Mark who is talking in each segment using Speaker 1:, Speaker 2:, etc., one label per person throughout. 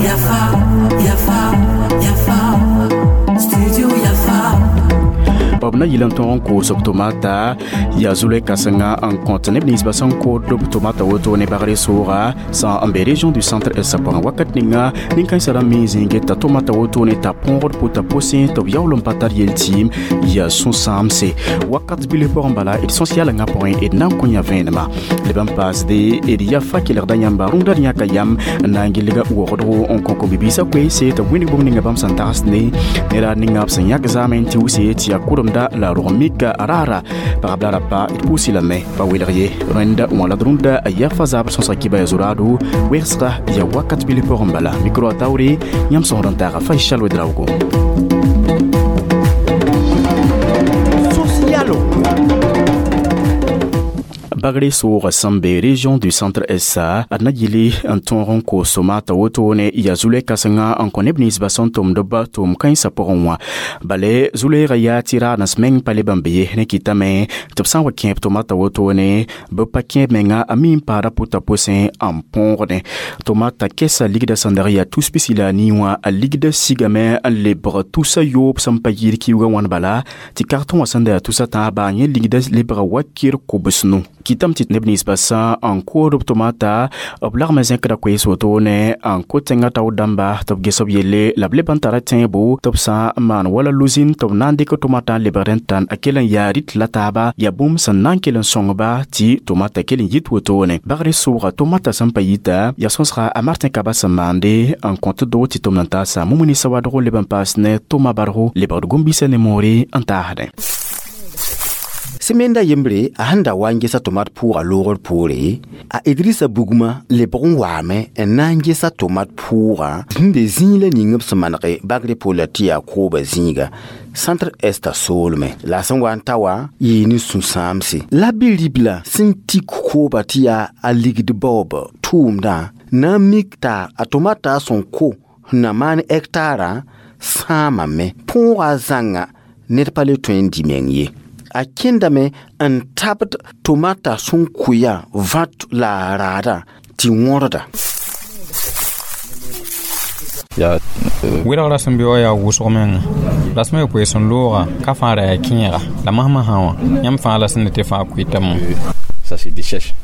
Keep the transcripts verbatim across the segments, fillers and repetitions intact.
Speaker 1: Yafa, Yafa, Yafa, Studio Yafa.
Speaker 2: B na yɩl n tõog n koos b tomata yaa zulɛ kãsenga n kõt neb ninsbã sẽn kood b tomata woto ne bagre sooga sã n be région du centre est pʋgẽ. Wakat ninga nin-kãensã rãmb me zĩig t'a tomata woto ne t'a põogd pʋta posẽ tɩ b yaool n pa tar yel-tɩɩm yaa sũ-sãamse wakat bilf pʋgẽ. Bala d sõs-yalengã pʋgẽ d na n kõ yã vẽenema leb n paasde d ya fa kelgda yãmba rũndã d yãka yam n na n gilga wogdgo n kõ kom-bibiisã koeese tɩ b wĩndg bũmb ninga bãmb sẽn tagsd ne nera ninga b sẽn yãk zaamẽ tɩ wuse tɩ yaa kʋremda la rog mika raara pagb la rapa d pʋʋsi lame pa welg ye. Rẽnda wã la d rũndã yaa fa zabr sõsga kiba ya zoraado wegsga yaa wakat bilf pʋgẽ. Bala micro a taoore yãmb sõsd n taaga Faisal Wedraogo.
Speaker 3: Socialo.
Speaker 2: Bagre soogã sẽn be région du centre esa ad na yɩle n tõog n koos tomata wotone yaa zulɛ kãsenga n kõ neb ninsbã sẽn tʋmd b tʋʋm kãensã pʋgẽ wã. Bale zu-loeegã yaa tɩ raadens meng pa leb n be ye ne kɩtame tɩ b sã n wa kẽeb tomata wotone bɩ pa kẽeb menga a mi n paada pʋta posẽ n põogdẽ. Tomata kɛsa ligdã sẽn dag yaa tus pisi la a nii wã a ligdã sigame n lebg tusa yoob sẽn pa yɩɩd kiuugã wãn bala tɩ kartõ wã sẽn da yaa tusa tãaba yẽ ligdã lebga wakir kobsnu. Kɩtame tɩ neb ninsbã sã n kood b tomata b lagm zẽkda koees wotone n ko tẽngã tao dãmba tɩ b ges b yelle la b leb n tara tẽebo tɩ b sã n maan wala luzin tɩ b na n dɩk tomata n lebgd n tãn a kell n yaa rɩt la taaba yaa bũmb sẽn na n kell n sõngba tɩ tomata kell n yit wotone. Bagre sʋʋga tomata sẽn pa yita yaa sõsga a Martin Kaba sẽn maande n kõt doo tɩ tʋmd n taasa Mumuni Sawadgo leb n paas ne tʋma bargo lebgd gom-biisã ne moore n taasdẽ.
Speaker 3: Sẽmenda yembre a sẽn da wa n gesa tomat pʋʋga loogr poore a Idrissa bugmã lebg n waame n na n gesa tomat pʋʋga sẽn be zĩig la ning b sẽn manege bagre pola tɩ yaa kooba zĩiga centre est soolmẽ la a sẽn wa n ta wã yɩɩ ne sũ-sãamse la bi-ribla sẽn tik kooba tɩ yaa a ligd baoob tʋʋmdã na n mik t'a a tomata sẽn ko sẽn na maan hectara sãamame põoga zãnga ned pa le tõe n dɩ meng ye. A kẽndame n tabd tomata sẽn kʋya vãt la a raadã tɩ wõrda.
Speaker 4: Wɩlgrã sẽn be wã yaa wʋsg menga rasmã yaa koees n looga ka fãa ra yaa kẽega la masmasã wã yãmb fãa la sẽn ne tɩ fãa kʋɩtame.
Speaker 5: Ça se déchèche.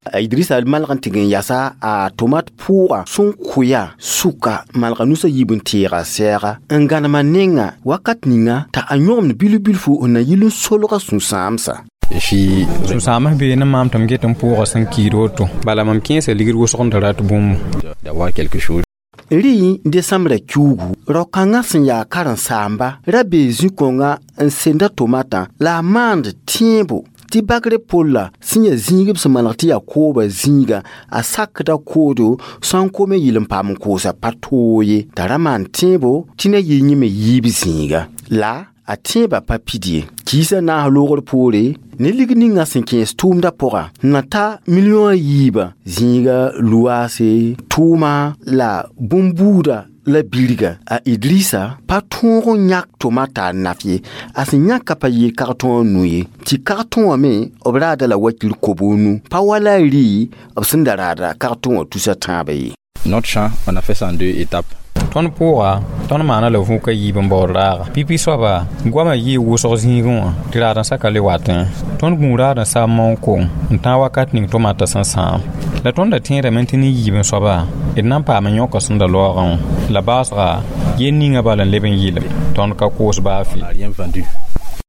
Speaker 3: A Idrissa malg n tɩg n yasa a tomat pʋʋga sẽn kʋya sʋka malga nusã yiib n teega sɛɛga n gãnema nenga wakat ninga t'a a yõgemd bilf-bilfu n na yɩl n solga sũ-sãamsa.
Speaker 4: Sũ-sãams bee ne maam tɩ m get n pʋʋga sẽn kiid woto bala mam kẽesa ligd wʋsg n da rat bũmbu.
Speaker 5: D'avoir quelque chose.
Speaker 3: Rɩ desãmbrã kiuugu rao-kãngã sẽn yaa karen-saamba ra bee zĩ-kõngã n senda tomatã la a maand tẽebo tɩ bagre polla sẽn yaa zĩig b sẽn maneg tɩ yaa kooba zĩiga a sakda koodo sã n kome yɩl n paam n koosa pa toog ye t'a ra maan tẽebo tɩ na yɩ yẽme yiib zĩiga la a tẽebã pa pid ye. Kiisã naas loogr poore ne lig ninga sẽn kẽes tʋʋmdã pʋga na ta million a yiibã zĩiga luaase tʋʋma la bũmb-buuda la birga. A Idrissa pa tõog n yãk tomata a naf ye a sẽn yãka pa yɩɩ kartõ a nu ye tɩ kartõ wã me b raada la wakir kobo nu pa wala a rɩ b sẽn da raada kartõ wã tusa tãabã ye.
Speaker 5: Notre champ, on a fait ça en deux étapes.
Speaker 4: Tõnd pʋʋga tõnd maana la vũka yiib n baood raaga pipi soaba goamã yɩɩ wʋsg zĩigẽ wã tɩ raad-n-saka le watẽ tõnd gũu raad-n-sa maoong kong n tãag wakat ning tomata sẽn sãam la tõnd da tẽedame tɩ ne yiib n soaba d na n paam n yõka sẽn da loogã wã la baasga yel ninga bala n leb n yɩlem tõnd ka koos baa fɩ.
Speaker 5: Rien vendu.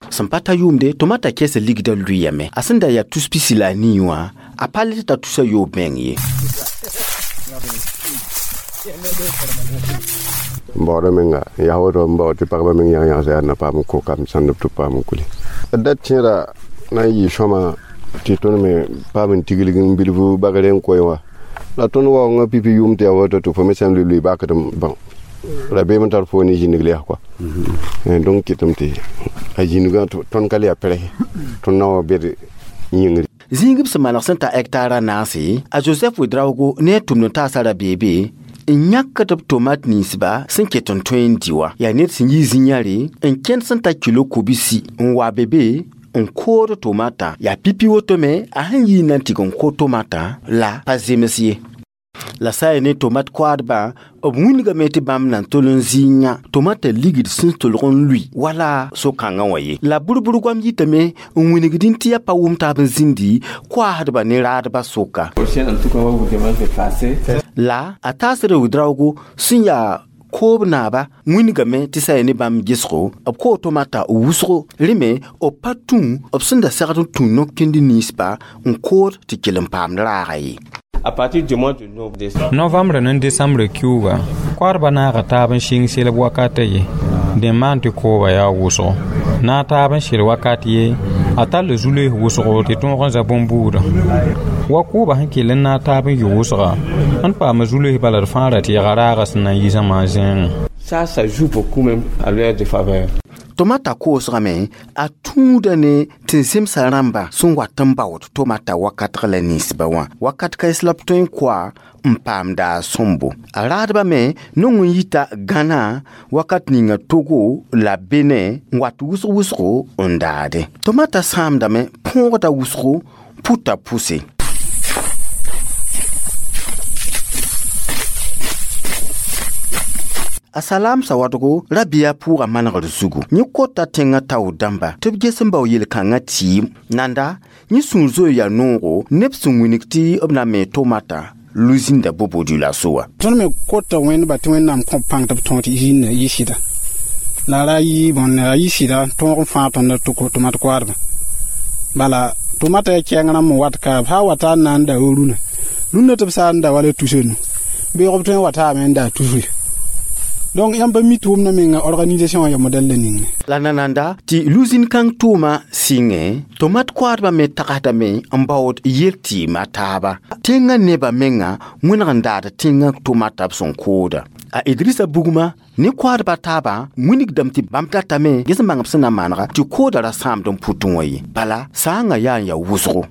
Speaker 3: Sẽn pa ta yʋʋmde tomata kɛɛsã ligdã lʋɩyame a sẽn da yaa tus pisi la a nii wã a pa le t'a tusa yoob meng ye.
Speaker 6: N baooda menga yaa woto n bao tɩ pagba meng yãg yãgsa yaa na paam n ko kam sãnd b tɩ paam n kuli d da tẽeda na n yɩ sõma tɩ tõnd me paam n tiglg n bilf bagre n koe wã la tõnd waoongã pipi yʋʋm tɩ yaa woto tɩ fo me sã n lʋɩ lʋɩ bakdem bão rabeem n tar fo ne zĩnig lɛs kɔa donc kɩtame tɩ a zĩnigã tõnd ka le yaa pɛrɛse tõnd na wa bed yĩngri.
Speaker 3: Zĩig b sẽn maneg sẽn ta hectara naase a Joseph Wedraogo ne a tʋmd n taasa ra-beebe n yãkd b tomat ninsba sẽn ket n tõe n dɩ wã yaa ned sẽn yi zĩ-yãre n kẽnd sẽn ta kilo kobsi n wa be be n kood tomata yaa pipi woto me a sẽn yii na n tɩg n ko tomata la pa zems ye la sã n ne tomat koadbã b wĩndgame tɩ bãmb na n tol n zɩ yã tomata ligd sẽn tolg n lʋi wala so-kãngã wã ye la bʋr-bʋr goam yitame n wĩnigdẽ tɩ yaa pa wʋm taab n zĩndi koaasdba ne raadbã soka la a taasd wʋdraoogo sẽn yaa koob naaba wĩndgame tɩ sã ya ne bãmb gesgo b koo tomata wʋsgo rẽ me b pa tũ b sẽn da segd n tũ no-kẽnd ninsba n kood tɩ kell n paamd raaga ye.
Speaker 7: À partir du mois de novembre.
Speaker 4: Novembre ne décembre kiuga koadba naaga taab n sɩng selb wakata ye dẽ maan tɩ kooba yaa wʋsgo na taab n sel wakat ye a tall zu-loees wʋsgo tɩ tõog n za bõn-buudã wa kooba sẽn kell n naag taab n yɩ wʋsga n paam zu-loees bala d fãa ra tɩ yega raaga sẽn na n yi zãma zẽengẽ.
Speaker 7: Ça, ça joue beaucoup même à leur défaveur.
Speaker 3: Tomata koosgame a tũuda ne tɩ zemsa rãmba sẽn wat n baood tomata wakatg la ninsba wã wakat kaes la b tõe n koa n paamda a sõmbo a raadba me nong n yita Gãna wakat ninga Togo la Benin n wat wʋsg wʋsgo n daade tomata sãamdame põogda wʋsgo puta pʋse. A salam sawadgo rabia pʋʋga manegr zugu yẽ kota tẽngã tao dãmba tɩ b ges n bao yel-kãngã tɩɩm nanda yẽ sũur zoe yaa noogo neb sẽn wilg tɩ b na me tomata luzinda bobo dioulasso wã.
Speaker 8: Tõnd me kota wẽndba tɩ Wẽnnaam kõ pãng tɩ b tõog tɩ zĩnda yɩ sɩda la ra yɩ bõn a yɩ sɩda tõog n fãag tõnd tomat koaadbã bala tomata yaa kɛɛng rãmb n wat ka b sã n wata n na n da wa rũnã rũndã tɩ b sã n da wala tusenu beoog b tõe n wataame n da tusre. Donc yãmb pa mi tʋʋmdã menga organisation ya modɛl la ninga.
Speaker 3: La nananda tɩ luzin kãng tʋʋma sɩngẽ tomat koadbã me tagsdame n baood yel tɩɩma taaba tẽngã nebã menga wẽneg n daad tẽngã tomata b sẽn kooda a Idrissa Bugma ne koadbã taabã wĩnigdame tɩ bãmb datame ges n bãng b sẽn na manega tɩ kooda ra sãamd n pʋtẽ wã ye bala sãangã yaa n yaa wʋsgo.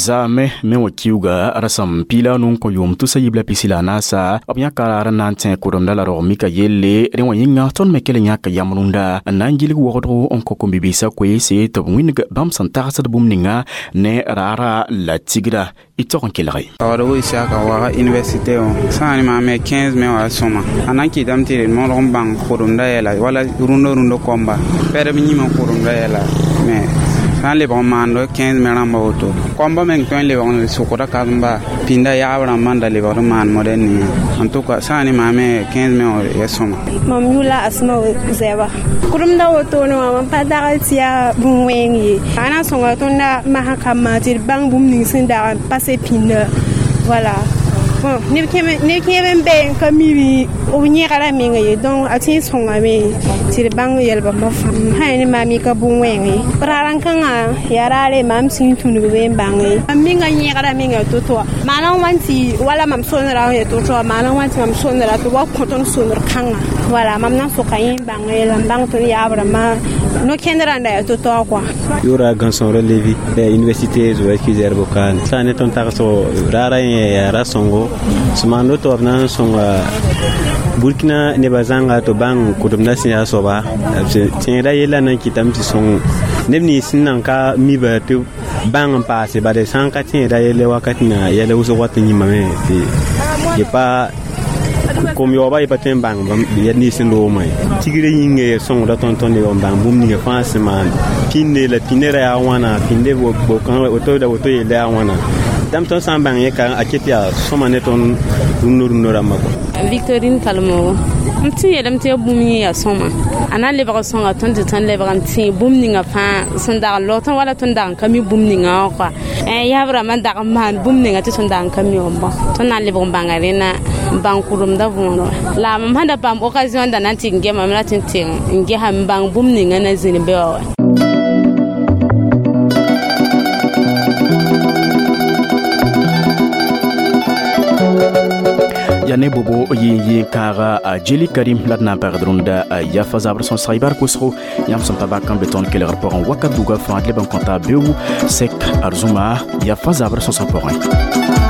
Speaker 2: Zaame me wã kiuga rasam piila nun kõ yʋʋm tusa yib la pisi la naasa b yãka raar n na n tẽ kʋdemda la rog mika yelle rẽ wã yĩnga tõnd me kell n yãka yam rũndã n na n gilg wogdgo n kõ kom-bibiisã koeese tɩ b wĩndg bãmb sẽn tagsd bũmb ninga ne raara la tigra y tog n kelge.
Speaker 9: Waoodgo Isiaka waga université wã sã n maame quinze mai wã sõma a na n kɩtame tɩ d modg n bãng kʋremda yɛla wala rũndã rũndã kõmba pɛdb yĩmã kʋremda yɛla mais sã n lebg n maando quinze mai rãmba woto kõmba meng tõe n lebg n sʋkda kazemba pĩnda yaab rãmbã n da lebgd n maan modɛl ninga en tout cas sã n ne maame quinze mai wã ya sõma.
Speaker 10: Mam yʋla Asma Zɛba kʋremda wotone wã mam pa dag tɩ yaa bũn-wẽng ye a na n sõnga tõnda masã kambã tɩ d bãng bũmb ning sẽn dag n pase pĩnda voilà. Bon neb kẽeb n be n ka mi b yẽgra menga ye donc a tɩ n sõngame tɩ d bãng yɛl bãmba fãa sã ne maam ka bũn-wẽng ye raar n kãngã yaa raare maam sĩn tũnug be n bãng ye mam menga yẽgra menga to-to wã maana n wa n tɩ wala mam sonera n ya to-to wã maana n wa n tɩ mam sonera tɩ wa kõ tõnd sonr kãngã voilà mam na n soka yẽ n bãng ye la n bãng tõnd yaab rãmbã no-kẽnd rãnda yaa to-to wã kɔa.
Speaker 11: Yʋra gãnsõor Levi la université Zoé Kizerbo kan sã ne tõnd tagsgo raara yẽ yaa ra-sõngo sẽn maan woto b na n sõnga Burkina nebã zãnga tɩ bãng kʋdemdã sẽn yaa soaba tẽedã yella na n kɩtame tɩ sõng neb nins sẽn nan ka miba tɩ bãng n paase bala sã n ka tẽeda yelle wakat ninga yɛl wʋsg wat n yĩmame tɩ yẽ pa kom yaooba yẽ pa tõe n bãng yɛl nins sẽn loogmã ye tigrã yĩnga ya sõngda tõnd tõnd n bãng bũmb ninga fãa sẽn maan pĩnde la pĩndã ra yaa wãna pĩnde woto la woto yella yaa wãna dãmb tõnd sã n bãng yẽ ka a ket yaa sõma ne tõnd rũndã rũndã rãmbã kɔ.
Speaker 12: Victorine Kalmogo m tɩ yeelame tɩ yaa bũmb yẽ yaa sõma a na n lebg sõnga tõnd tɩ tõnd lebg n tẽ bũmb ninga fãa sẽn dag n log tõnd wala tõnd dag n ka mi bũmb ninga wã kɔa yaab rãmbã n dag n maan bũmb ninga tɩ tõnd dag n ka mi wã bõ tõnd na n lebg n bãnga rẽnna n bãng kʋremdã võorẽ la mam sẽn da paam occasion da na n tɩ n gemame la tɩ n tɩ n gesa n bãng bũmb ninga na zĩni be wã wa.
Speaker 2: Yaa ne bobo yɩ yɩ kãaga a jeli karim la d na n pagd rũndã yafa zabr sõsg y bar kosgo. Yãmb sẽn pa bak n be tõnd kelgr pʋgẽ wakat buga fãa, d leb n kõta beoog sɛk arzũma yafa zabr sõsg pʋgẽ.